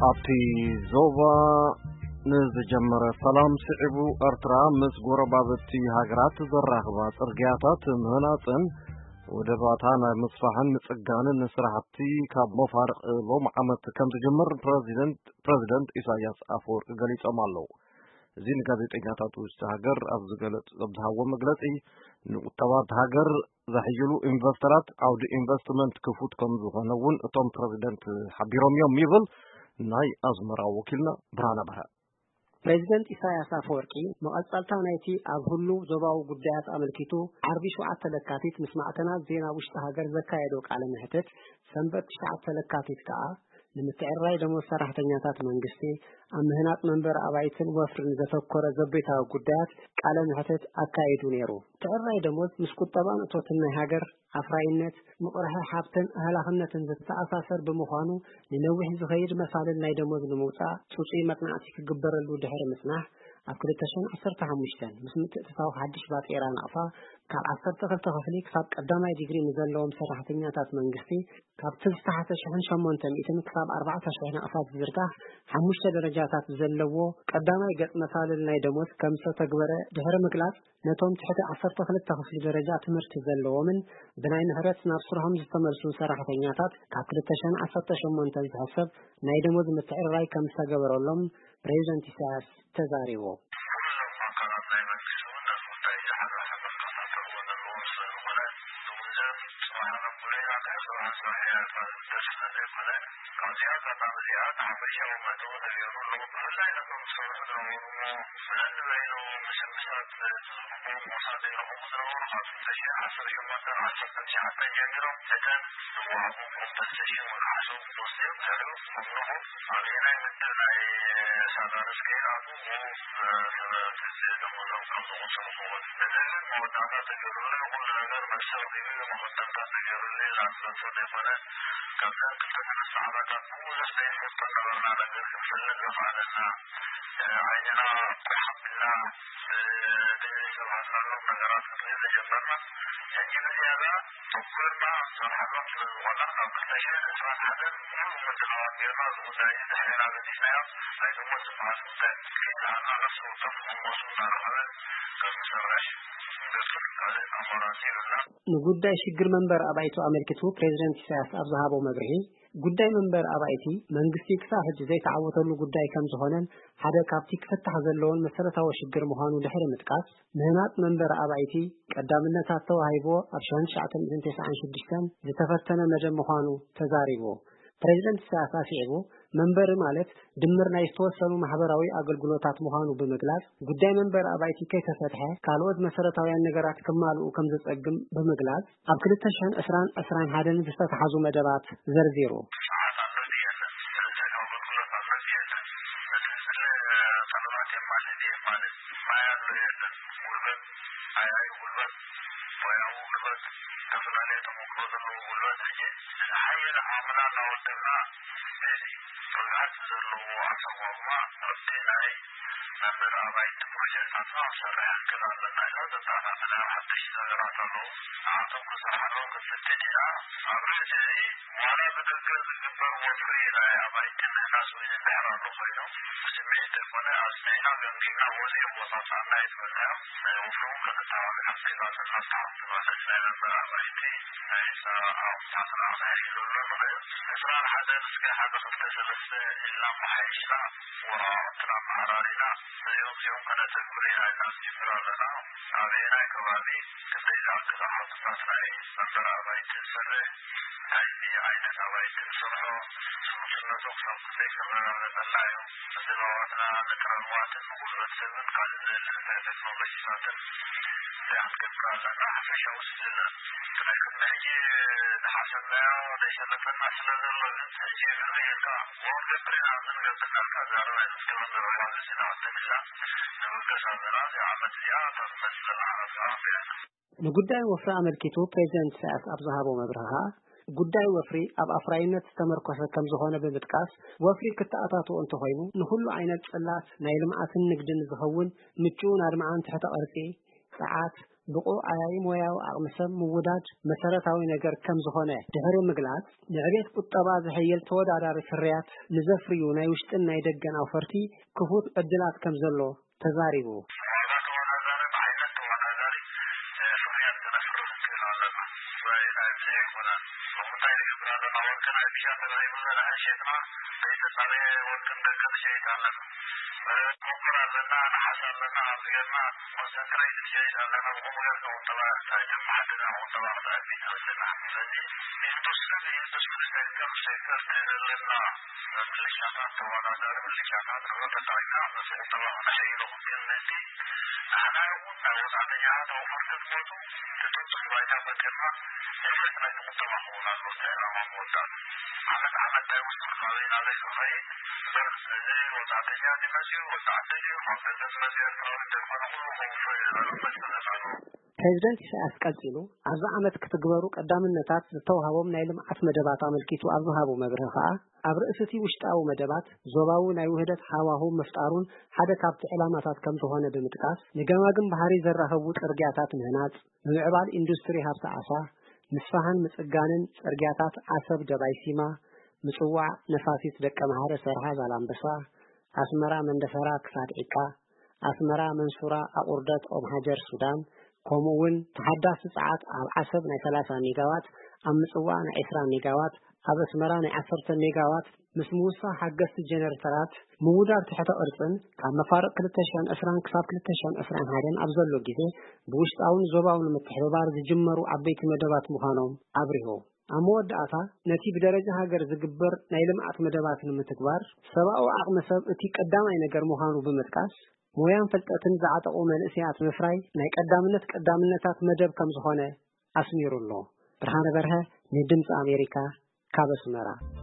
ኣብቲ ዞባ ንዝጀመረ ሰላም ስዒቡ፣ ኤርትራ ምስ ጎረባብቲ ሃገራት ዘራኽባ ጽርግያታት ምህናጽን ወደባታ ናይ ምስፋሕን ምጽጋንን ስራሕቲ ካብ መፋርቕ ሎም ዓመት ከም ዝጅምር ፕረዚደንት፣ ፕረዚደንት ኢሳያስ ኣፈወርቂ ገሊጾም ኣለዉ። እዚ ንጋዜጠኛታት ውሽጢ ሃገር ኣብ ዝገለጽ-፣ ኣብ ዝሃቦ መግለጺ፣ ንቁጠባ እታ ሃገር ዘሕይሉ ኢንቨስተራት ዓውዲ ኢንቨስትመንት ክፉት ከም ዝኾነ እውን እቶም ፕረዚደንት ሓቢሮም እዮም ይብል ናይ ኣስመራ ወኪልና ብርሃነ በርሀ። ፕሬዚደንት ኢሳያስ ኣፈወርቂ መቐጸልታ ናይቲ ኣብ ህሉው ዞባዊ ጉዳያት ኣመልኪቱ ዓርቢ ሸውዓተ ለካቲት ምስ ማዕከናት ዜና ውሽጢ ሃገር ዘካየዶ ቃለ መሕትት፣ ሰንበት ትሽዓተ ለካቲት ከኣ ንምትዕርራይ ደሞዝ ሰራሕተኛታት መንግስቲ፣ ኣብ ምህናጽ መንበሪ ኣባይትን ወፍርን ዘተኮረ ዘቤታዊ ጉዳያት ቃለ መሕትት ኣካይዱ ነይሩ። ምትዕርራይ ደሞዝ ምስ ቁጠባን እቶትን ናይ ሃገር ኣፍራይነት፣ ምቕርሒ ሃብትን ኣህላኽነትን ዝተኣሳሰር ብምዃኑ፣ ንነዊሕ ዝኸይድ መሳልል ናይ ደሞዝ ንምውጻእ ጽጹይ መጽናዕቲ ክግበረሉ ድሕሪ ምጽናሕ፣ ኣብ ክልተ ሽሕን ዓሰርተ ሓሙሽተን ምስ ምትእትታው ሓድሽ ባጤራ ናቕፋ፣ ካብ ዓሰርተ ክልተ ክፍሊ ክሳብ ቀዳማይ ዲግሪ ንዘለዎም ሰራሕተኛታት መንግስቲ፣ ካብቲ ዝተሓተ ሽሕን ሸሞንተ ሚእትን ክሳብ ኣርባዕተ ሽሕ ናቕፋ ዝዝርጋሕ ሓሙሽተ ደረጃታት ዘለዎ ቀዳማይ ገጽ መሳልል ናይ ደሞዝ ከም ዝተተግበረ ድሕሪ ምግላጽ፣ ነቶም ትሕቲ ዓሰርተ ክልተ ክፍሊ ደረጃ ትምህርቲ ዘለዎምን ብናይ ምሕረት ናብ ስርሖም ዝተመልሱ ሰራሕተኛታት ካብ ክልተ ሽሕን ዓሰርተ ሸሞንተን ዝሕሰብ ናይ ደሞዝ ምትዕርራይ ከም ዝተገበረሎም ፕሬዚደንት ኢሳያስ ተዛሪቡ። ካብዚኣ ኣጋጣሚ እዚኣ እቲ ሓፈሻዊ መእተዊ ተገይሩ ኣሎ። ብፍላይ ነቶም ዝሰርሑ ዝነበሩ ነንበይኑ ምስምሳት ሞሳ ዘይረኸቡ ዝነበሩ ካብ ክልተ ሽሕ ዓሰርተ ሸሞንተ ዓሰርተ ትሽዓተ ጀሚሮም እተን ዝወሃቡ ክልተ ሽሕ ወርሓሶም ወስዮም ድሕሪኡ ክምልኹ ኣበየናይ ምድብ ናይ ሳዳርስ ከይኣትዉ ብኡፍ ደሞዞም ከም ዝቑጽሩ ክወት። እዚ ግን መወዳእታ ተገይሩሉ ኩሉ ነገር መልሲ ረኺቡ መኸተልታ ተገይሩሉ ኢልና ንፈልጦ ዘይኮነ፣ ካብዘን ክልተ ሰለስተ ዓመታት ብዙሕ ዘይንፈልጦ ነበርና ነገር ክንፈልጥ ዘኽኣለና፣ ዓይንና ቁሕ ኣቢልና ብዘይሰማዕናሎም ነገራት ክንርኢ ዝጀመርና። ሕጂ ብዝያዳ ተኮርና ኣብ ዝሰርሓሎም ስለ ዝኾና፣ ካብ ክልተ ሽሕን ዕስራን ሓደን ሙሉእ ምድላዋት ጌርና፣ እዚ ጉዳይ እዚ ድሕሬና ገዲፍናዮ። ናይ ደሞዝ ዝበሃል ጉዳይ ከይነሃና ነፍሲ ወከፍ ደሞዙ እናረኸበ ከም ዝሰርሕ ንገብር፣ ካልእ ኣማራጺ የብልናን። ንጉዳይ ሽግር መንበሪ ኣባይቱ ኣመልኪቱ ፕሬዚደንት ኢሳያስ ኣብ ዝሃቦ መብርሂ፣ ጉዳይ መንበሪ ኣባይቲ መንግስቲ ክሳብ ሕጂ ዘይተዓወተሉ ጉዳይ ከም ዝኾነን ሓደ ካብቲ ክፍታሕ ዘለዎን መሰረታዊ ሽግር ምዃኑ ድሕሪ ምጥቃስ፣ ምህናጽ መንበሪ ኣባይቲ ቀዳምነታት ተዋሂብዎ ኣብ ሽሕን ትሽዓተ ሚእትን ተስዓን ሽዱሽተን ዝተፈተነ መደብ ምዃኑ ተዛሪቡ። ፕሬዚደንት ኢሳያስ ኣስዒቡ፣ መንበሪ ማለት ድምር ናይ ዝተወሰኑ ማሕበራዊ ኣገልግሎታት ምዃኑ ብምግላጽ፣ ጉዳይ መንበሪ ኣባይቲ ከይተፈትሐ ካልኦት መሰረታውያን ነገራት ክማልኡ ከም ዘጸግም ብምግላጽ፣ ኣብ ክልተ ሽሕን ዕስራን ዕስራን ሓደን ዝተታሕዙ መደባት ዘርዚሩ። ሰዓት ኣሎ ድዩ የለን? ሰብኣዊ ኣገልግሎት ኣሎ ድዩ የለን? እቲ ዝድለ ጠለባት የማልእ ድዩ የማልእ? ማይ ኣሎ የለን? ጉልበት፣ ኣያዩ ጉልበት፣ ሞያዊ ጉልበት፣ ዝተፈላለየ ተመክሮ ዘለዎ ጉልበት፣ ሕጂ ዝሓየለ ዓቕምና እናወደብና፣ ነዚ ርግኣት ዘለዎ ኣሰጓጉማ ኣብቲ ናይ መንበሪ ኣባይቲ ፕሮጀክትታትና ክንሰርሕ ክንክእል ኣለና ኢሎም ዘተኣኻኸለ ሓደሽቲ ነገራት ኣለዉ። ንዓቶም ክንሰርሓሎም ክንፍትን ኢና። ኣብ ርእሲ እዚ ዋላ ብደገ ዝግበር ወፍሪ ናይ ኣባይቲ ምህናጽ እውን እንድሕር ኣሎ ኮይኑ፣ ብስምዒት ዘይኮነ፣ ኣጽኒዕና ገምጊምና፣ ወፂኦም ቦታትና እናይትበልናዮም፣ ወፍሪ እውን ከተተባብዕ ኣብ ጸይባትን መፍትሓ ክትበልዕ ናይ መንበሪ ኣባይቲ ናይ ህንጻ ኣቑሑታትና ክነሕይለሉ ንኽእል። ዕስራን ሓደን እስከ ሓደ ክልተ ሰለስተ ኢልና ኣመሓይሽና፣ ወረቓቕትና ኣመዓራሪና፣ ነዚኦም እዚኦም ከነተግብር ኢና ኢልና ንጅምር ኣለና። ኣበየናይ ከባቢ ክንደይ ዝኣክል ኣቑሑትታት ናይ መንበሪ ኣባይቲ ንሰርሕ፣ እንታይ ዓይነት ኣባይቲ ንሰርሖ፣ ስሉስነቱ ክሳብ ክንደይ ክረጋገጸልና እዩ። ንዘባዋትና፣ ንጥረ ንዋትን ንጉልበት ሰብን ካልእ ዘድሊ ቴክኖሎጂታትን ክንገብር ኣለና። ሓፈሻዊ ስለ እቲ ናይ ቅድሚ ሕጂ ዝሓሰብናዮ ዘይሰለጠና ስለ ዘሎ ግን፣ ሕጂ ፍርህ ኢልካ፣ ወርቂ ብሬና ዝንገብር ናልካ ዛረባ እዩ። እስከ መዘረባ ገጽና ቅድም ኢልና ንብገስ ኣለና። እዚኣ ዓመት እዚኣ እታ ትመጽእ ዘላ ዓመት ከዓ ንጉዳይ ወፍሪ ኣመልኪቱ ፕሬዚደንት ኢሳያስ ኣብ ዝሃቦ መብርሂ ኸኣ፣ ጉዳይ ወፍሪ ኣብ ኣፍራይነት ዝተመርኮሰ ከም ዝኾነ ብምጥቃስ፣ ወፍሪ ክተኣታትዎ እንተኾይኑ፣ ንኹሉ ዓይነት ጽላት ናይ ልምዓትን ንግድን ዝኸውን ምቹእን ኣድማዕን ትሕተ ቅርጺ፣ ጸዓት፣ ብቑዕ ዓያዪ ሞያዊ ዓቕሚ ሰብ ምውዳድ መሰረታዊ ነገር ከም ዝኾነ ድሕሪ ምግላጽ፣ ንዕቤት ቁጠባ ዘሐይል ተወዳዳሪ ፍርያት ንዘፍርዩ ናይ ውሽጥን ናይ ደገን ኣውፈርቲ ክፉት ዕድላት ከም ዘሎ ተዛሪቡ። ዋጋ ተወዳዳሪ፣ ብዓይነት ተወዳዳሪ ፍርያት ክነፍሪ ክንክእል ኣለና። ብፍላይ ናይ ብዝሒ ይኹን ብምንታይ ንገብር ኣለና? ወርቅና ብሻ ተራሂቡ ዘርኣ ሸጥና ዘይተጻረየ ወርቅን ደቅን ሸይጥ ኣለና። ኮፐር ኣለና፣ ነሓስ ኣለና፣ ኣብዚ ገርና ኮንሰንትሬት ሸይጥ ኣለና። ብኹሉ ገርካ ቁጠባ እንታይ ተመሓድር ቁጠባ ክትኣሚ ትኽእል ኣለና። ስለዚ ኢንዱስትሪ ኢንዱስትሪ ሴክተር ሴክተር ናይ ዘለና ምልሻታት ተወዳዳሪ ምልሻታት ተጠቒምና ቁጠባ ክነሕይሎ ክንክእል። ንሕና እውን ናይ ወጻእተኛታት ኣውፈርቲ ትመፁ ትጥንፅሑ ባይታ ፈጢርና ንብረት ናይ ቁጠባ ክኸውን ኣሎ። እንታይ ዕላማ ምወዳእ ዓመት ዓመት እንታይ ወስዱ ናበይ ናበይ ዝኸይድ እምበር እዚ ወጻእተኛ ድመፅኡ ወዲ ዓዲ ድዩ ካብ ገጠር ዝመፅኡ ኤርትራዊ ዘይኮነ ኩሉ ከውፍር ይኽእል መስለና ኣሎ። ፕሬዚደንት ኢሳያስ ቀጺሉ ኣብዚ ዓመት ክትግበሩ ቀዳምነታት ዝተውሃቦም ናይ ልምዓት መደባት ኣመልኪቱ ኣብ ዝሃቦ መብርሂ ከኣ ኣብ ርእሲ እቲ ውሽጣዊ መደባት ዞባዊ ናይ ውህደት ሃዋሁ ምፍጣሩን ሓደ ካብቲ ዕላማታት ከም ዝኾነ ብምጥቃስ ንገማግም ባሕሪ ዘራኽቡ ጽርግያታት ምህናጽ፣ ምምዕባል ኢንዱስትሪ ሃብቲ ዓሳ፣ ምስፋሕን ምጽጋንን ጽርግያታት ዓሰብ ደባይ ሲማ፣ ምጽዋዕ ነፋሲት ደቀምሓረ ሰርሃ ዛላምበሳ፣ ኣስመራ መንደፈራ ክሳድ ዒቃ፣ ኣስመራ መንሱራ ኣቑርደት ኦምሃጀር ሱዳን፣ ከምኡ እውን ተሓዳሲ ጸዓት ኣብ ዓሰብ ናይ ሰላሳ ሜጋዋት፣ ኣብ ምጽዋዕ ናይ ዕስራ ሜጋዋት፣ ኣብ ኣስመራ ናይ ዓሰርተ ሜጋዋት ምስ ምውሳኽ ሓገዝቲ ጀነሬተራት ምውዳብ ትሕተ ቅርጽን ካብ መፋርቕ ክልተ ሽሕን ዕስራን ክሳብ ክልተ ሽሕን ዕስራን ሓደን ኣብ ዘሎ ግዜ ብውሽጣውን ዞባውን ምትሕብባር ዝጅመሩ ዓበይቲ መደባት ምዃኖም ኣብሪሁ። ኣብ መወዳእታ ነቲ ብደረጃ ሃገር ዝግበር ናይ ልምዓት መደባት ንምትግባር ሰብኣዊ ዓቕሚ ሰብ እቲ ቀዳማይ ነገር ምዃኑ ብምጥቃስ ሞያን ፍልጠትን ዝዓጠቑ መንእሰያት ምፍራይ ናይ ቀዳምነት ቀዳምነታት መደብ ከም ዝኾነ ኣስሚሩ ኣሎ። ብርሃነ በርሀ ንድምፂ ኣሜሪካ ካብ ኣስመራ።